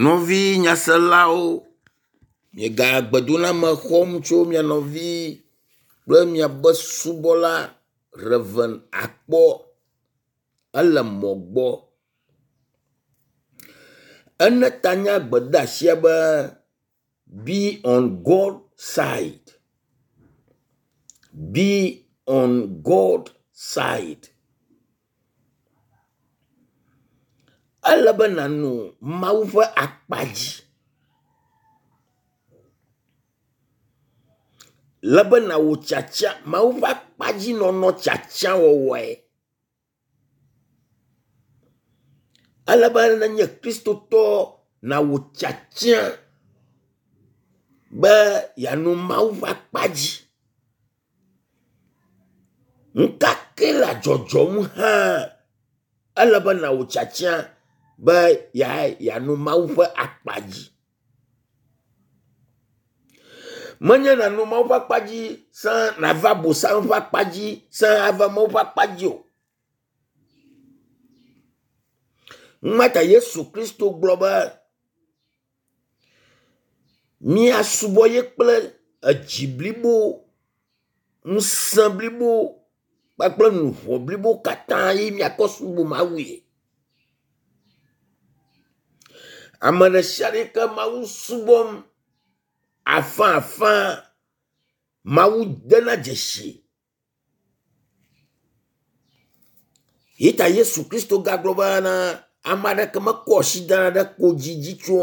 Nɔvi nyaselawo, miega gbedoname xɔm tso mia nɔvi kple miabe subɔla Rev. Akpɔ ele mɔ gbɔ. Ene ta na gbedeasia be “Be on God side, be on God side.” Ele be nànɔ Mawu ƒe akpa dzi. Le be nàwɔ tiatia Mawu ƒe akpadzinɔnɔ tiatiawɔwɔe. Ele be nenye kristotɔ nàwɔ tiatia be yeanɔ Mawu ƒe akpa dzi. Nu ka ke le dzɔdzɔm hã ele be nàwɔ tiatia be yeanɔ Mawu ƒe akpa dzi. Menye nànɔ Mawu ƒe akpa dzi sã nàva Abosam ƒe akpa dzi sã ava Mawu ƒe akpa dzi o. Numa ta Yesu Kristo gblɔ be míasubɔ ye kple edzi blibo, ŋusẽ blibo kpakple luʋɔ blibo katã ye míakɔ subɔ Mawue. Ame ɖe sia ɖe yi ke Mawu subɔm afãafã, Mawu dena dzesi. Yi ta Yesu Kristo gagblɔ bena ame aɖeke mekɔ asi dana ɖe kodzi dzi tso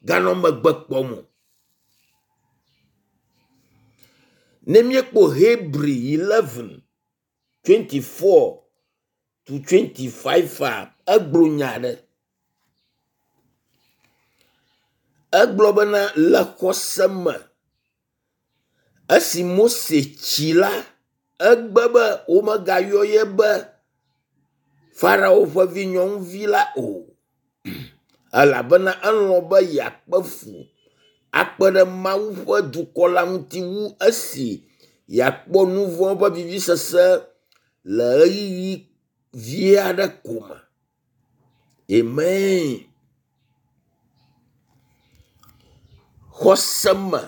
ganɔ megbe kpɔm o. Ne míekpɔ Hebri 11 24 to 25 a, egblɔ nya aɖe. Egblɔ bena le xɔse me esi Mose tsi la, egbe be womegayɔ ye be Farao ƒe vi nyɔnuvi la o elabena elɔ̃ be yeakpe fu akpe ɖe Mawu ƒe dukɔ la ŋuti wu esi yeakpɔ nu vɔ̃ ƒe vivisese le ɣeyiɣi vi aɖe ko me. Amen. Xɔse me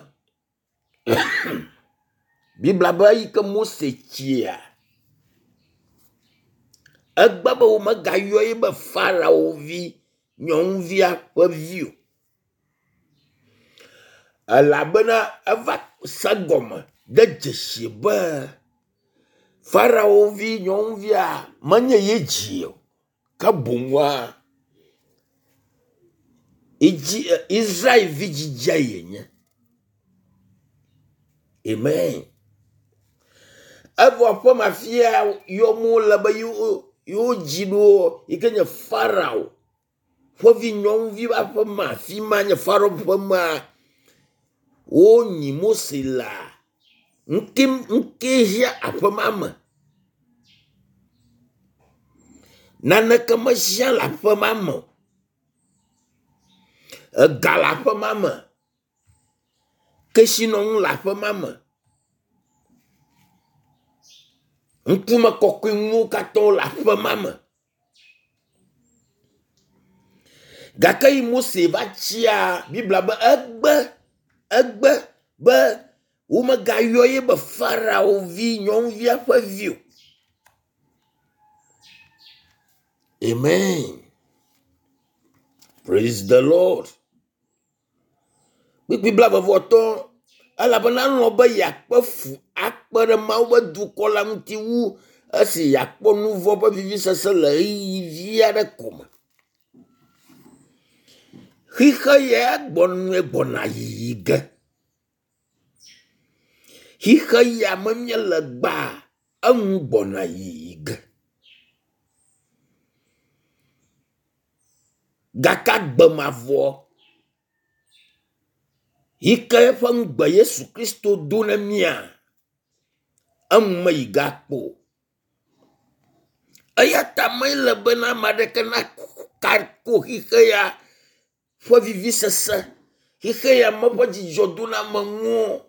Biblia be eyi ke Mose tsia, egbe be womegayɔ ye be Farao vi nyɔnuvia ƒe vi o. Elabena eva se gɔme de dzesi be Farao vi nyɔnuvia menye ye dzi o ke boŋua Israel vi dzidzia yenye. Amen. Evɔ aƒe ma fia yɔm wole be yewo dzi ɖo yi ke nye Farao ƒe vi nyɔnuvi ƒe aƒe ma afi ma nye Farao ƒe mea wonyi Mose lea ŋke ŋke hiã aƒe ma me. Naneke mehiã le aƒe ma me o. Ega le aƒe ma me. Kesinɔnu le aƒe ma me. Ŋkume kɔkɔe nuwo katã le aƒe ma me. Gake yi Mose va tsia, Biblia be egbe egbe be womegayɔ ye be Farao vi nyɔnuvia ƒe vi o. Amen. Praise the Lord. Kpukpui blaeve-vɔ-atɔ̃, elabena elɔ̃ be yeakpe fu akpe ɖe Mawu ƒe dukɔ la ŋuti wu esi yeakpɔ nu vɔ̃ ƒe vivisese le ɣeyiɣi vi aɖe ko me. Xixe ya gbɔnue gbɔna yiyi ge. Xixe ya me míele gbea, enu gbɔna yiyi ge. Gake agbe mavɔ yi ke eƒe ŋugbe Yesu Kristo do na mía, enu meyi ge akpɔ o. Eya ta mele bena ame aɖeke nako xixe ya ƒe vivisese, xixe ya me ƒe dzidzɔdonamenuwo,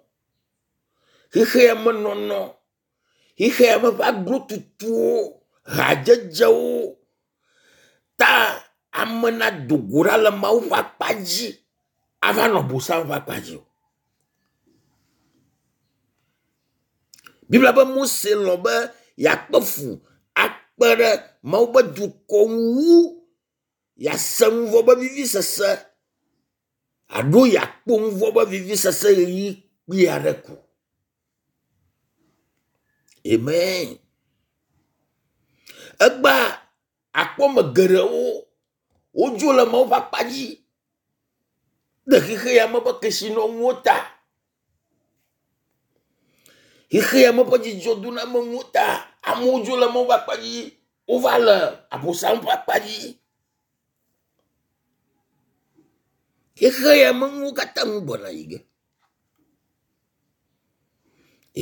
xixe ya me nɔnɔ, xixe ya me ƒe aglotutuwo, hadzedzewo ta. ame nado go ɖa le Mawu ƒe akpa dzi ava nɔ Bosam ƒe akpa dzi o. Biblia be Mose lɔ̃ be yeakpe fu akpe ɖe Mawu ƒe dukɔ ŋu wu yease nu vɔ̃ ƒe vivisese alo yeakpɔ nu vɔ̃ ƒe vivisese ɣeyiɣi kpui aɖe ko. Amen. Egbea akpɔ ame geɖewo wodzo le Mawu ƒe akpa dzi le xexe ya me ƒe kesinɔnuwo ta. Xexe ya me ƒe dzidzɔdonamenuwo ta. Amewo dzo le Mawu ƒe akpa dzi wova le abosam ƒe akpa dzi. Xexe ya me nuwo katã nu gbɔna yi ge.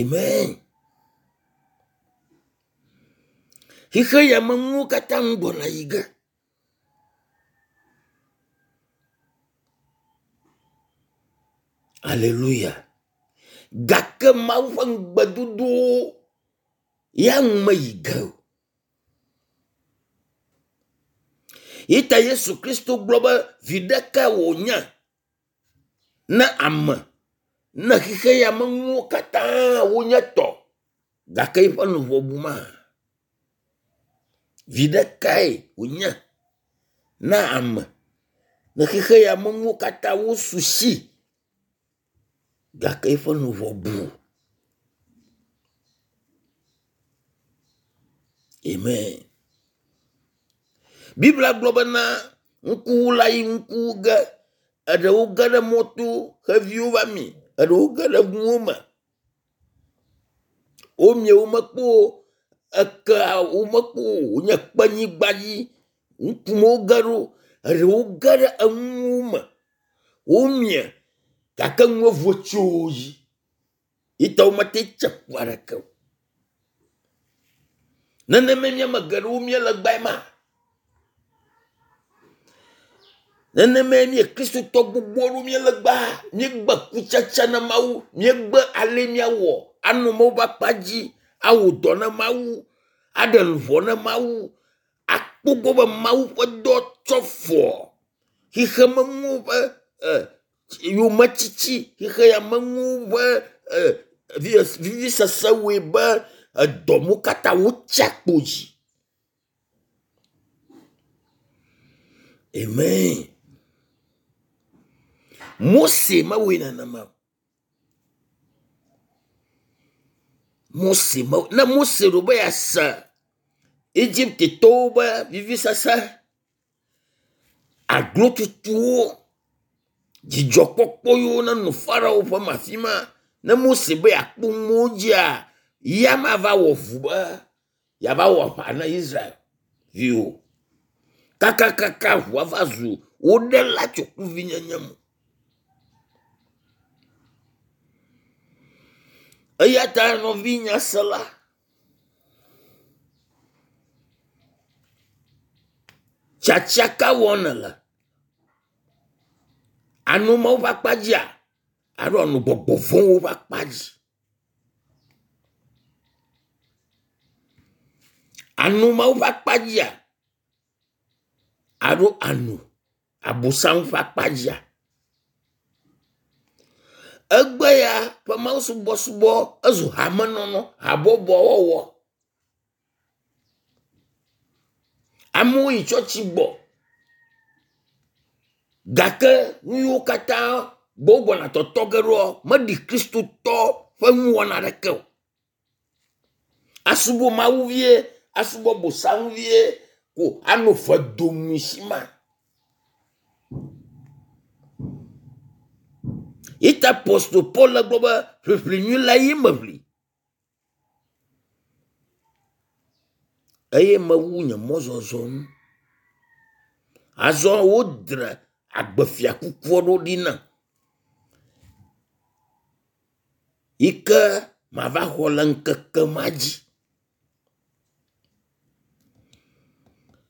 Amen. Xexe ya me nuwo katã nu gbɔna yi ge. Aleluya. Gake Mawu ƒe ŋugbedodowo ya nu meyi ge o. Yi ta Yesu Kristo gblɔ be viɖe kae wònye ne ame ne xexe ya me nuwo katã wonye tɔ gake eƒe luʋɔ bu ma? Viɖe kae wònye na ame ne xexe ya me nuwo katã wosu si gake eƒe luʋɔ bu? Amen. Biblia gblɔ bena ŋkuwula yi ŋku ge, eɖewo ge ɖe mɔto, xeviwo va mi, eɖewo ge ɖe ŋuwo me. Womie womekpɔ o, ekea womekpɔ o, wonye kpenyigba dzi ŋku me woge ɖo, eɖewo ge ɖe enuwo me, womie gake nua vo tso wo dzi. Yi ta womete tse ku aɖeke o. Nenemae mía ame geɖewo míele egbea ma. Nenemae mí Kristotɔ gbogbo aɖewo míele egbea. Míegbe kutsetse na Mawu, míegbe ale míawɔ anɔ Mawu ƒe akpa dzi, awɔ dɔ na Mawu, aɖe luʋɔ na Mawu, akpɔ gbɔ be Mawu ƒe dɔ tsɔ fɔ xexemenuwo ƒe e yometiti, xexeamenuwo ƒe e vivisese wɔe be edɔ mo katã wotsi akpo dzi. Amen. Mose mewɔe nenema o. Mose me ne Mose ɖo be yease Egiptetɔwo ƒe vivisese, aglotutuwo, dzidzɔkpɔkpɔ yiwo nenɔ Farao ƒe me afi ma, ne Mose be yeakpɔ nuwo dzia, ya mava wɔ vu be yeava wɔ aʋa na Israel viwo. Kakakaka ʋua va zu wo ɖela tso kluvinyenye me. Eya ta nɔvi nyasela, tiatia ka wɔm nèle? Anɔ Mawu ƒe akpa dzia alo anɔ gbɔgbɔ vɔ̃wo ƒe akpa dzi? Anɔ Mawu ƒe akpa dzia alo anɔ Abosam ƒe akpa dzia? Egbe ya ƒe mawusubɔsubɔ ezu hamenɔnɔ, habɔbɔ wɔwɔ. Amewo yi tsɔtsi gbɔ gake nu yiwo katã gbɔ wogbɔna tɔtɔ ge ɖoa meɖi kristotɔ ƒe nuwɔna aɖeke o. Asubɔ Mawu vie, asubɔ bosam vie ko anɔ fe domi si ma. Yi ta apostol Paul le gblɔ be ʋiʋli nyui la ye meʋli. Eye mewu nye mɔzɔzɔ nu. Azɔ wodre agbefiakuku aɖewo ɖi nam yi ke mava xɔ le ŋkeke ma dzi.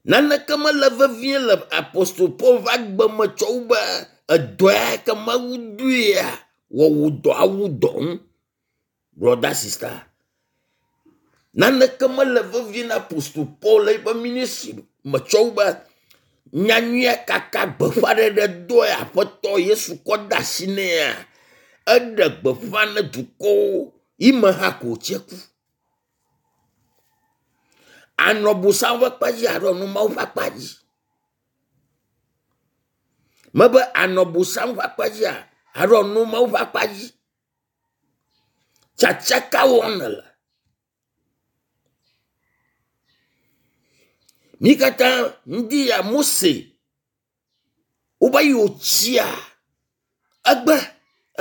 Naneke mele vevie le apostol Paul ƒe agbe me tsɔ wu be edɔ ya ke Mawu doea wɔ wò dɔ awu dɔ ŋu. Brɔda sista, naneke mele vevie na apostol Paul le eƒe ministry me tsɔ wu be Nyanyuia kaka gbeƒãɖeɖe dɔe Aƒetɔ Yesu kɔ de asi nɛa, eɖe gbeƒã ne dukɔwo yi me hã ko wòtse ku. Anɔ bosam ƒe akpa dzi alo anɔ Mawu ƒe akpa dzi. Mebe anɔ bosam ƒe akpa dzia alo anɔ Mawu ƒe akpa dzi. Tsatsa ka wɔm nèle? Mí katã ŋdi ya Mose woba yi wòtsia egbe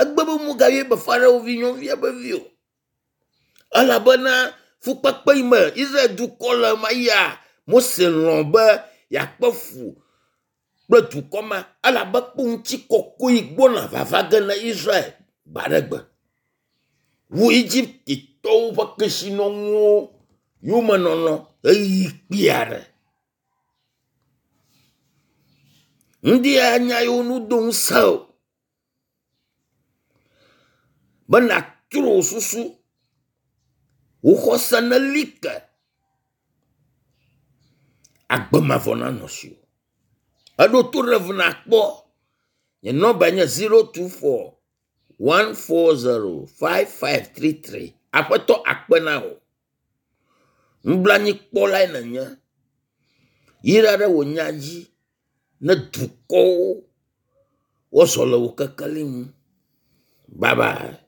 egbe be mugayɔe be Farao vi nyɔnuvia be vi o. Elabena fukpekpe yi me Israel dukɔ le ma ya Mose lɔ̃ be yeakpe fu kple dukɔ ma elabe kpɔ ŋutikɔkɔe gbɔna vava ge na Israel gbe aɖe gbe. Wu Egiptetɔwo ƒe kesinɔnuwo yomenɔnɔ ɣeyiɣi kpui aɖe. Ŋdi ya nya yiwo nu do ŋusẽ o be nàtrɔ wò susu, wò xɔse neli ke, agbe mavɔ nanɔ asiwò. Eɖo to ɖe ŋu nàkpɔ. Nye nɔmbae nye 024 140 5533. Aƒetɔ akpe na wò. Nublanuikpɔlae nènye. Yra ɖe wò nya dzi ne dukɔwo woazɔ le wò kekeli nu. Bye bye.